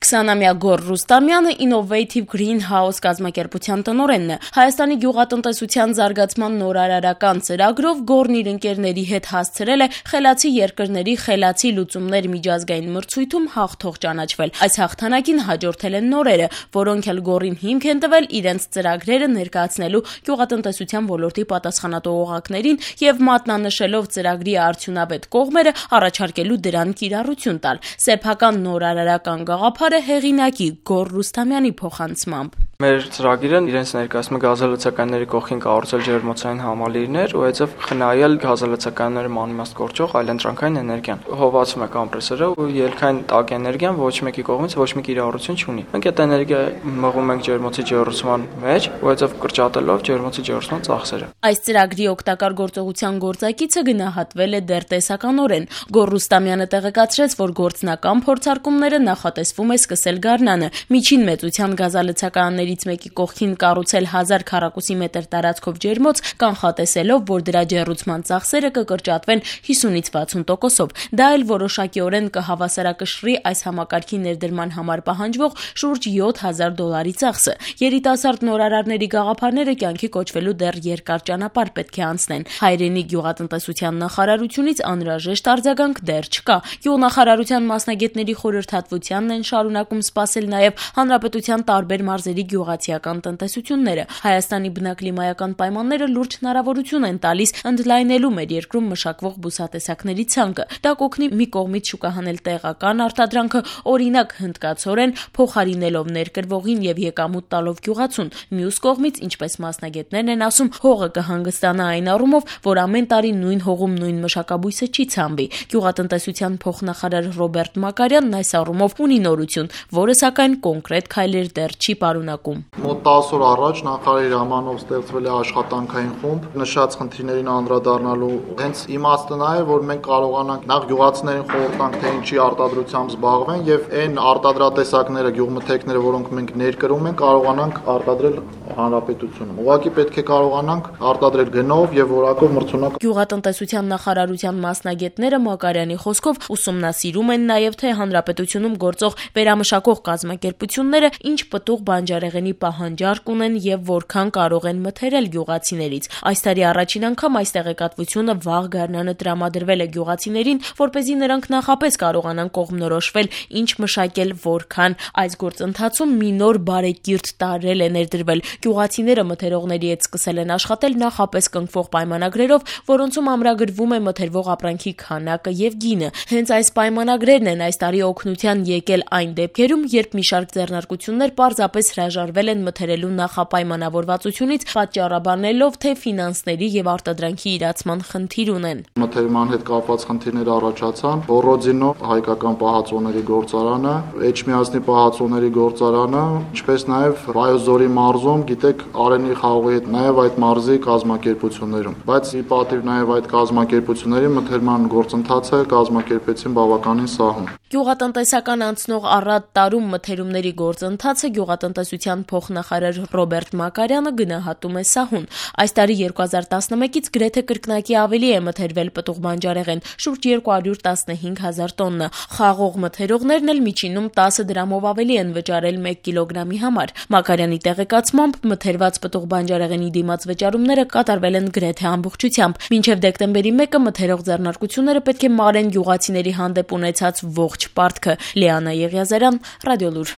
20-ամյա Գոռ Ռուստամյանը Innovative Greenhouse կազմակերպության տնօրենն է։ Հայաստանի գյուղատնտեսության զարգացման նորարարական ծրագրով Գոռն իր ընկերների հետ հասցրել է խելացի երկրների խելացի լուծումներ միջազգային մրցույթում հաղթող ճանաչվել։ Այս հաղթանակին հաջորդել են նորերը, որոնք էլ Գոռին հիմք են տվել իրենց ծրագրերը ներկայացնելու գյուղատնտեսության ոլորտի պատասխանատու օղակներին եւ մատնանշելով ծրագրի արդյունավետ կողմերը առաջարկելու դրան կիրառություն տալ։ Սեփական նորարարական գաղափարը հեղինակի Գոռ Ռուստամյանի փոխանցմամբ։ Մեր ծրագիրը իրենց ներկայացնում գազալցականների կողքին կառուցել ջերմոցային համալիրներ, ուղղակի խնայել գազալցականները մանիմաստ կորչող այլընտրանքային էներգիան։ Հովացում է կոմպրեսորը ու ելքային տաք էներգիան ոչ մեկի կողմից ոչ մի կիրառություն չունի։ Մենք այդ էներգիա մղում ենք ջերմոցի ջեռուցման մեջ, ուղղակի կրճատելով ջերմոցի ջեռուցման ծախսերը։ Այս ծրագրի օգտակար գործողության գործակիցը գնահատվել է դեռ տեսականորեն։ Գոռ Ռուստամյանը տեղեկացրեց, որ գործնական փորձարկումները նախատեսվում է սկսել գարնանը։ Միջին մեծության գազալցականներից մեկի կողքին կառուցել 1000 քառակուսի մետր տարածքով ջերմոց, կանխատեսելով, որ դրա ջեռուցման ծախսերը կկրճատվեն 50-ից 60%-ով։ Դա էլ որոշակիորեն կհավասարակշռի այս համակարգի ներդրման համար պահանջվող շուրջ $7000 ծախսը։ Երիտասարդ նորարարների գաղափարները կյանքի կոչվելու դեռ երկար ճանապարհ պետք է անցնեն։ Հայրենի գյուղատնտեսության նախարարությունից անհրաժեշտ արձագանք դեռ չկա։ Գյուղնախարարության մասնագետների խորհրդատվությանն են շարունակում սպասել նաև հանրապետության տարբեր մարզերի գյուղացիական տնտեսությունները։ Հայաստանի բնակլիմայական պայմանները լուրջ հնարավորություն են տալիս ընդլայնելու մեր երկրում մշակվող բուսատեսակների ցանկը։ Դա կօգնի մի կողմից շուկահանել տեղական արտադրանքը, օրինակ հնդկացորեն, փոխարինելով ներկրվողին եւ եկամուտ տալով գյուղացուն։ Մյուս կողմից, ինչպես մասնագետներն են ասում, հողը կհանգստանա այն առումով, որ ամեն տարի նույն հողում նույն մշակաբույսը չի ցանվի։ Գյուղատնտեսության փոխնախարար Ռոբերտ Մակարյանն այս առումով ունի նորություն, որը սակայն կոնկրետ քայլեր դեռ չի պարունակում։ Մոտ 10 օր առաջ նախարարի հրամանով ստեղծվել է աշխատանքային խումբ նշած խնդիրներին անդրադառնալու։ Հենց իմաստը նա է, որ մենք կարողանանք նախ գյուղացիներին խորհուրդ տանք, թե ինչի արտադրությամբ զբաղվեն եւ այն արտադրատեսակները, գյուղմթերքները, որոնք մենք ներկրում ենք, կարողանանք արտադրել հանրապետությունում։ Ուղղակի պետք է կարողանանք արտադրել գնով եւ որակով մրցունակ։ Գյուղատնտեսության նախարարության մասնագետները Մակարյանի խոսքով ուսումնասիրում են նաեւ թե հանրապետությունում գործող վերամշակող կազմակերպությունները ինչ պտուղ բանջարեղենի պահանջարկ ունեն եւ որքան կարող են մթերել գյուղացիներից։ Այս տարի առաջին անգամ այս տեղեկատվությունը վաղ գարնանը տրամադրվել է գյուղացիներին, որպեսզի նրանք նախապես կարողանան կողմնորոշվել ինչ մշակել, որքան։ Այս գործընթացում մի նոր բարեկիրթ տարրել է ներդրվել։ Գյուղացիները մթերողների հետ սկսել են աշխատել նախապես կնքվող պայմանագրերով, որոնցում ամրագրվում է մթերվող ապրանքի քանակը եւ գինը։ Հենց այս պայմանագրերն են այս տարի օգնության եկել այն դեպքերում, երբ մի շարք ձեռնարկություններ պարզապես հրաժարվել են մթերելու նախապայմանավորվածությունից, պատճառաբանելով, թե ֆինանսների եւ արտադրանքի իրացման խնդիր ունեն։ Մթերման հետ կապված խնդիրներ առաջացան։ Բորոդինո հայկական պահածոների գործարանը, Էջմիածնի պահածոների գործարանը, ինչպես նաեւ Վայոզորի մարզում, գիտեք, Արենի խաղողի հետ նաեւ այդ մարզի կազմակերպություններում։ Բայց ի պատիվ նաեւ այդ կազմակերպությունների մթերման գործընթացը կազմակերպեցին բավականին սահուն։ Գյուղատնտեսական անցնող առատ տարում մթերումների գործընթացը գյուղատնտեսության փոխնախարար Ռոբերտ Մակարյանը գնահատում է սահուն։ Այս տարի 2011-ից գրեթե կրկնակի ավելի է մթերվել պտուղ բանջարեղեն, շուրջ 215,000 տոննա։ Խաղող մթերողներն էլ միջինում 10 դրամով ավելի են վճարել 1 կիլոգրամի համար։ Մակարյանի տեղեկացմամբ մթերված պտուղ բանջարեղենի դիմաց վճարումները կատարվել են գրեթե ամբողջությամբ։ Մինչև դեկտեմբերի 1-ը մթերող ձեռնարկությունները պետք է մարեն գյուղացիների հանդեպ ունեցած ողջ պարտքը։ Լիանա Եղիազարյան, Ռադիոլուր։